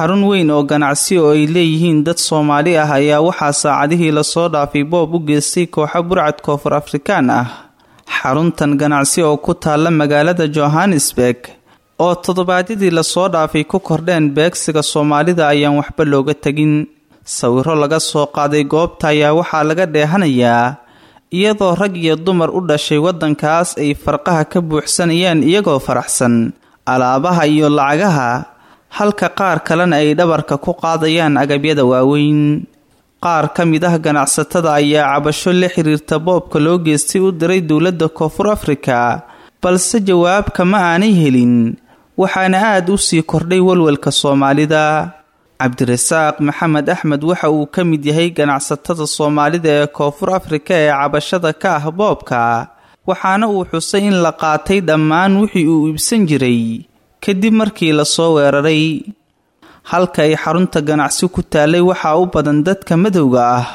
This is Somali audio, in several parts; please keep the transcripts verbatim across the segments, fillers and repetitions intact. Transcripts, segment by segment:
Xarun weyn oo ganacsi oo ay leeyihiin dad Soomaali ah ayaa waxaa saacadihii lasoo dhaafay boob u geystay kooxo burcad Koonfur Afrikaan ah. Xaruntan ganacsi oo ku taalla magaalada Johannesburg oo toddobaadyadii lasoo dhaafay ku kordheen beegsiga Soomaalida ayaan waxba looga tegin. Sawiro laga soo qaaday goobta ayaa waxaa laga dheehanayaa iyadoo rag iyo dumar u dhashay waddankaas ay farqaha ka buuxsanayaan iyagoo faraxsan alaabaha iyo lacagaha, halka qaar kalena ay dhabarka ku qaadayaan agabyada waaweyn. Qaar ka mid ah ganacsatada ayaa cabasho la xiriirta boobka loo geystay u diray dowladda Koonfur Afrika, balse jawaab kama aanay helin, waxaana aada u sii kordhay walwalka Soomaalida. Cabdirasaaq Maxamed Axmed waxa uu ka mid yahay ganacsatada Soomaalida ee Koonfur Afrika ee cabashada ka ah boobka, waxaana uu xusay in la qaatay dhammaan wixii uu iibsan jiray kadib markii lasoo weeraray. Halka ay xarunta ganacsi ku taalay waxaa u badan dadka madowga ah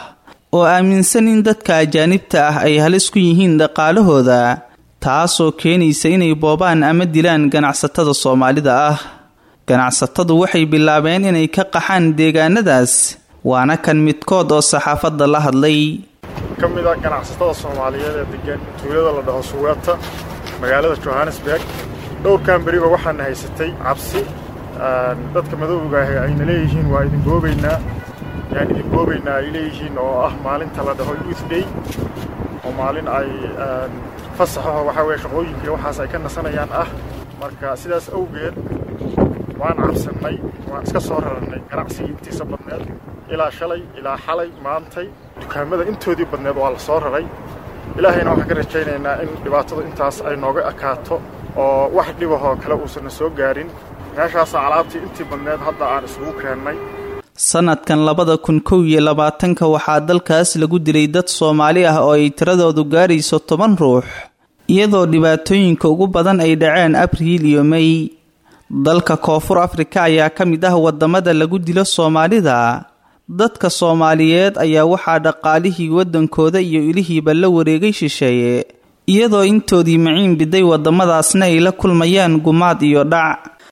oo aaminsan in dadka ajaanibta ah ay halis ku yihiin dhaqaalahooda, taasoo keenaysa inay boobaan ama dilaan ganacsatada Soomaalida ah. Ganacsatadu waxay bilaabeen inay ka qaxaan deegaanadaas, waana kan midkood oo saxaafadda la hadlay. Ka mid ah ganacsatada Soomaaliyeed ee degan tuulada la dhaho Suweeta, magaalada Johannesburg, dhowrkan beriba waxaana haysatay cabsi dadka madowga ahi ayna leeyihiin waa idin boobaynaa, yaan idin boobaynaa ay leeyihiin, oo ah maalinta la dhaho Youth Day, oo maalin ay fasaxaho waxaa weeye shaqooyinkii waxaas ay ka nasanayaan ah. Marka sidaas awgeed waan cabsannay, waan iska soo rarannay ganacsigii intiisa badneed ilaa shalay ilaa xalay maantay dukaamada intoodii badneed waa la soo raray. Ilaahayna waxaan ka rajaynaynaa in dhibaatadu intaas ay nooga ekaato oo wax dhibahoo kale uusanna soo gaarin. Meeshaasaa alaabtii intii badneed hadda aan isugu keennay. Sanadkan labada kun kow iyo labaatanka waxaa dalkaas lagu dilay dad Soomaali ah oo ay tiradoodu gaarayso toban ruux, iyadoo dhibaatooyinka ugu badan ay dhaceen Abriil iyo May. Dalka Koonfur Afrika ayaa ka mid ah wadamada lagu dilo Soomaalida. Dadka Soomaaliyeed ayaa waxaa dhaqaalihii waddankooda iyo ilihiiba la wareegay shisheeye, iyadoo intoodii maciin biday wadamadaasna ay la kulmayaan gumaad iyo dhac.